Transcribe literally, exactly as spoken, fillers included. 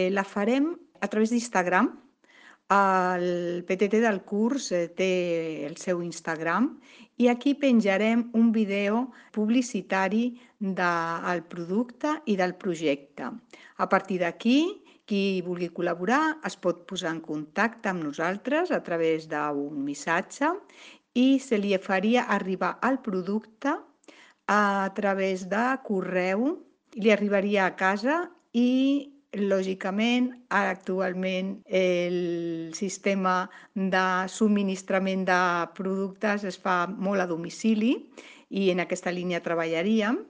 Eh, la farem a través d'Instagram. El P T T del curs eh, té el seu Instagram i aquí penjarem un vídeo publicitari del producte i del projecte. A partir d'aquí, qui vulgui col·laborar es pot posar en contacte amb nosaltres a través d'un missatge i se li faria arribar el producte a través de correu, li arribaria a casa i, lògicament, actualment el sistema de subministrament de productes es fa molt a domicili i en aquesta línia treballaríem.